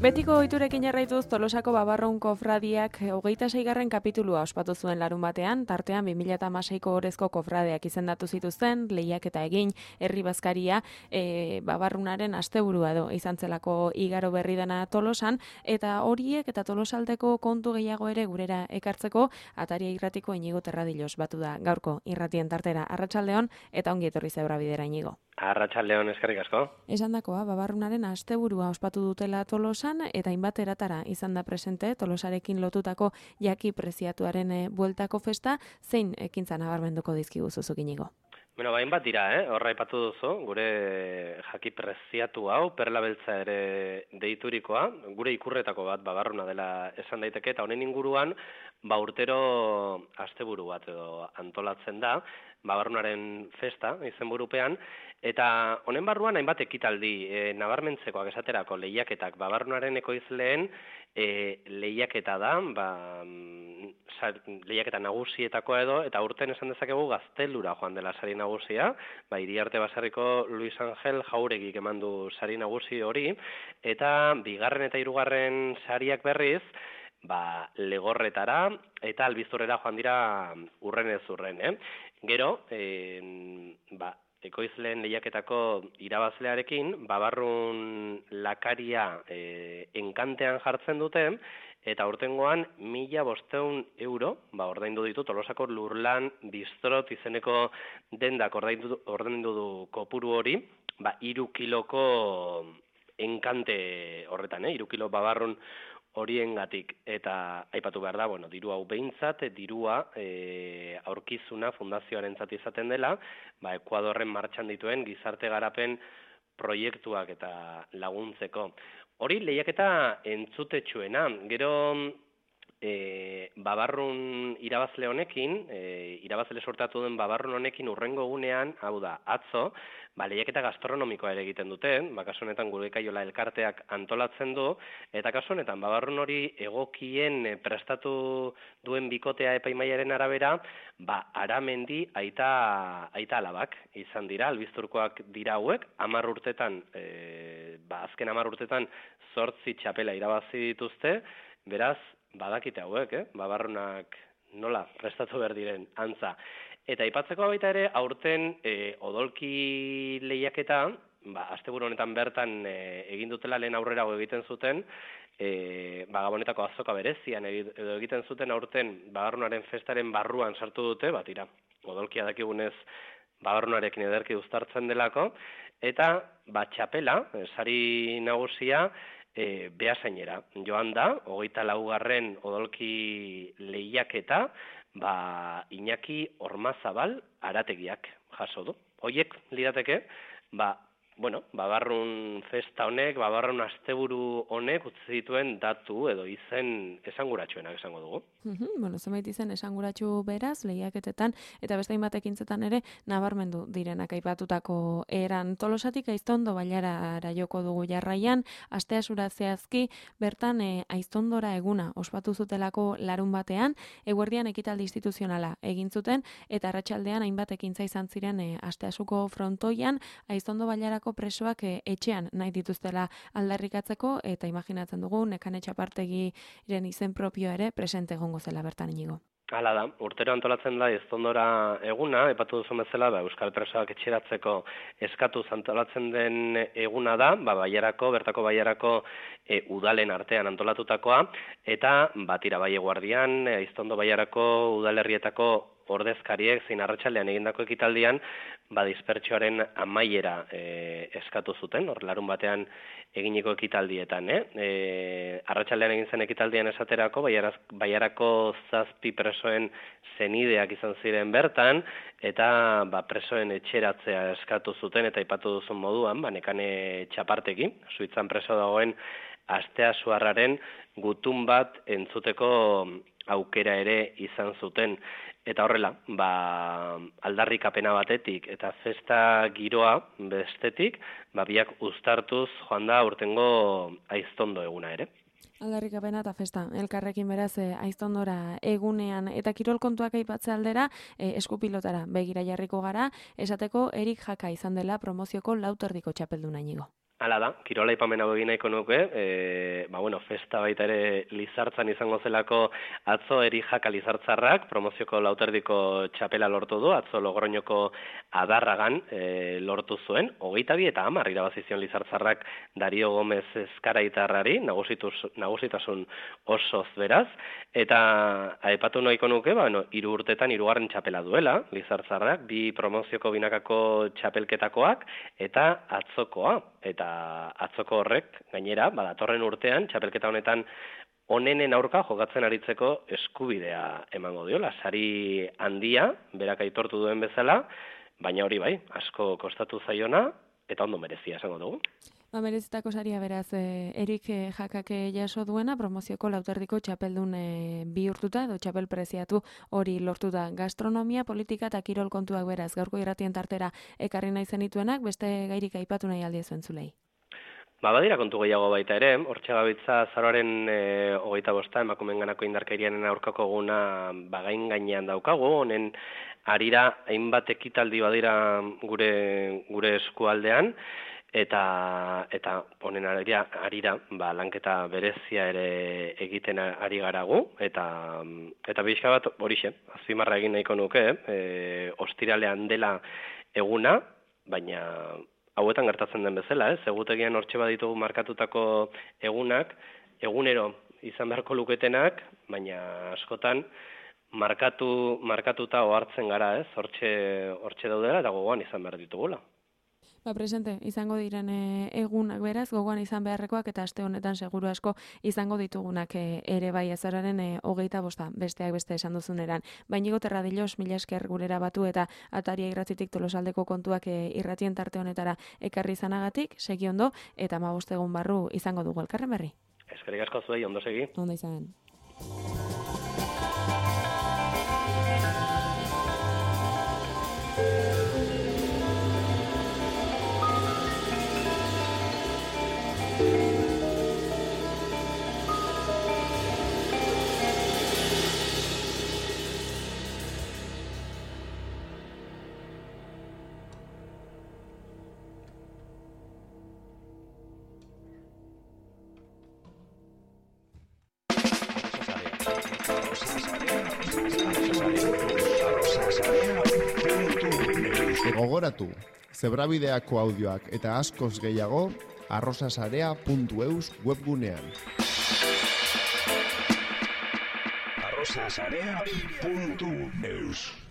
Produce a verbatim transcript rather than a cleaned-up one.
Betiko ohiturekin jarraituz Tolosako Babarrun kofradiak hogeita seigarren kapitulua ospatu zuen larun batean, tartean bi mila hamaseiko orezko kofradeak izendatu zituzten, lehiaketa egin, herri bazkaria, e, Babarrunaren asteburua edo izan zelako igaro berri dena Tolosan, eta horiek eta Tolosaldeko kontu gehiago ere gurera ekartzeko, Ataria irratiko Inigo Terradilos batu da gaurko irratien tartera. Arratsaldeon eta ongi etorri Zeura Bidera, Inigo. Arratsaldeon, eskerrik asko. Esandakoa, Babarrunaren asteburua ospatu dutela Tolosan eta hainbat eratara izan da presente Tolosarekin lotutako jaki preziatuaren bueltako festa, zein ekintza nabarmenduko dizkigu zuzuk, Inigo? Bueno, bain bat dira, eh? Horra aipatu duzu, gure jaki preziatu hau, perla beltza ere deiturikoa, gure ikurretako bat Babarruna dela esan daiteke, eta honen inguruan, ba urtero asteburu bat edo antolatzen da, Babarrunaren festa, izenburupean, eta honen barruan hainbat ekitaldi, e, nabarmentzekoak esaterako lehiaketak Babarrunaren ekoizleen e, lehiaketa da, ba, lehiaketa nagusietakoa edo, eta urten esan dezakegu Gaztelura joan dela sari nagusia, ba, Iriarte Basarriko Luis Angel Jauregik eman du sari nagusi hori, eta bigarren eta hirugarren sariak berriz, ba, Legorretara eta Albizurrera joan dira urren ez urren, eh? Gero, eh, ba, ekoizleen lehiaketako irabazlearekin, Babarrun lakaria e, enkantean jartzen dute, eta urtengoan mila bosteun euro, ba, ordaindu ditu Tolosako Lurlan Bistrot izeneko dendak ordaindu, ordaindu du kopuru hori, ba, iru kiloko enkante horretan, eh? Iru kilo Babarrun horiengatik, eta aipatu behar da, bueno, diru hau behintzat, dirua e, aurkizuna fundazioarentzat izaten dela, ba, Ekuadorren martxan dituen gizarte garapen proiektuak eta laguntzeko. Hori lehiaketa entzutetsuena, gero e, Babarrun irabazle honekin, e, irabazle sortatu den Babarrun honekin urrengo gunean, hau da, atzo, ba, lehiaketa gastronomikoa ere egiten duten, ba, kasu honetan gure kaiola elkarteak antolatzen du, eta kasu honetan Babarrun hori egokien e, prestatu duen bikotea epaimaiaren arabera, ba, Aramendi aita, aita alabak izan dira, albizturkoak dira hauek, hamar urtetan, e, ba, azken hamar urtetan zortzi txapela irabazi dituzte, beraz, badakite hauek, eh? Babarrunak nola prestatu behar diren antza. Eta aipatzeko baita ere, aurten e, odolki lehiaketa, ba, asteburu honetan bertan e, egin dutela lehen aurrerago egiten zuten, e, ba, Gabonetako azoka berezian edo egiten zuten aurten Babarrunaren festaren barruan sartu dute, bat ira, odolkia dakigunez Babarrunarekin ederki uztartzen delako, eta ba, txapela, sari nagusia, E, Beasainera joan da, hogeita laugarren odolki lehiaketa, ba, Iñaki Ormazabal Arategiak jaso du. Hoiek lirateke, ba, bueno, Babarrun festa honek, Babarrun asteburu honek utzi dituen datu edo izen esanguratsuenak esango dugu. Mm-hmm, bueno, zenbait izen esanguratsu beraz, lehiaketetan, eta beste hainbat ekintzetan ere nabarmendu direnak aipatutako eran. Tolosatik Aiztondo Bailarara joko dugu jarraian, asteazura zehazki, bertan e, Aiztondora eguna ospatu zutelako larun batean, eguerdian ekitaldi instituzionala egin zuten, eta arratsaldean hainbat ekintza izan ziren e, asteazuko frontoian, Aiztondo Bailarako presoak e, etxean nahi dituztela aldarrikatzeko, eta imaginatzen dugu Nekane Txapartegiren izen propioa ere presente egongo zela bertan, Inigo. Hala da, urtero antolatzen da Aiztondora eguna, epatu duzu bezala, ba, euskal presoak etxeratzeko eskatuz antolatzen den eguna da, ba, Baiarako, bertako Baiarako e, udalen artean antolatutakoa, eta batira Baie Guardian, Aiztondo Baiarako udalerrietako ordezkariek zein arratsaldean egindako ekitaldian, ba, dispertsioaren amaiera e, eskatu zuten, hor larun batean eginiko ekitaldietan, eh? E, arratsaldean egin zen ekitaldian esaterako, Baiaraz, Baiarako zazpi presoen zenideak izan ziren bertan, eta ba, presoen etxeratzea eskatu zuten, eta aipatu duzun moduan, ba, Nekane Txapartegi, Suitzan preso dagoen Asteasuarraren gutun bat entzuteko aukera ere izan zuten. Eta horrela, ba, aldarrikapena batetik eta festa giroa bestetik, ba, biak uztartuz joan da urtengo Aiztondo eguna ere. Aldarrikapena eta festa, elkarrekin beraz e, Aiztondora egunean, eta kirol kontuak aipatze aldera e, eskupilotara begira jarriko gara, esateko Erik Jaka izan dela promozioko lauterdiko txapelduna, Inigo. Hala da, kirola aipamen hau egin nahiko nuke, e, ba, bueno, festa baita ere Lizartzan izango zelako atzo eri jaka Lizartzarrak, promozioko lauterdiko txapela lortu du, atzo Logroñoko Adarragan e, lortu zuen, hogeita bi eta hamar irabazizion Lizartzarrak Dario Gomez Ezkaraitarrari, nagusitasun osoz beraz, eta aipatu nahiko nuke, ba, bueno, hiru urtetan hirugarren txapela duela, Lizartzarrak, bi promozioko binakako txapelketakoak, eta atzokoa, eta atzoko horrek, gainera, badatorren urtean, txapelketa honetan onenen aurka jokatzen aritzeko eskubidea emango diola. Sari handia, berak aitortu duen bezala, baina hori bai, asko kostatu zaiona, eta ondo merezia esango dugu. Ba, merezitako saria beraz, eh, Erik eh, jakake jaso duena, promozioko lauterdiko txapeldun eh, bihurtuta, edo txapel preziatu hori lortu da. Gastronomia, politika eta kirol kontuak beraz, gaurko irratien tartera ekarri nahi zenituenak, beste gairik aipatu nahi aldi ezuen zulei. Ba, badira kontu gehiago baita ere, hortxe gabitza zaroaren e, hogeita bosta, emakumen ganako indarkerianen aurkako guna bagain gainean daukagu, honen arira hainbat ekitaldi badira gure, gure eskualdean, eta eta honen arira, arira ba, lanketa berezia ere egiten ari garagu, eta eta bizka bat horixe, azpimarra egin nahiko nuke, e, ostiralean dela eguna, baina hauetan gertatzen den bezala, ez? Egutegian hortxe baditugu markatutako egunak, egunero izan beharko luketenak, baina askotan markatu markatuta ohartzen gara, ez? Hortxe hortxe daudela eta gogoan izan behar ditugula. Ba, presente, izango diren e, egunak beraz, gogoan izan beharrekoak eta aste honetan seguru asko izango ditugunak e, ere bai azararen e, hogeita bosta, besteak beste esan duzuneran. Bainigo Terradilos, mila esker gurera batu eta Ataria irratitik Tolosaldeko kontuak e, irratien tarte honetara ekarri izanagatik, segi ondo, eta hamabost egun barru izango dugu elkarren berri. Eskerrik asko zuei, ondo segi. Ondo izan. Gogoratu, zebrabideako audioak eta askoz gehiago arrosasarea puntu eus webgunean. arrosasarea puntu eus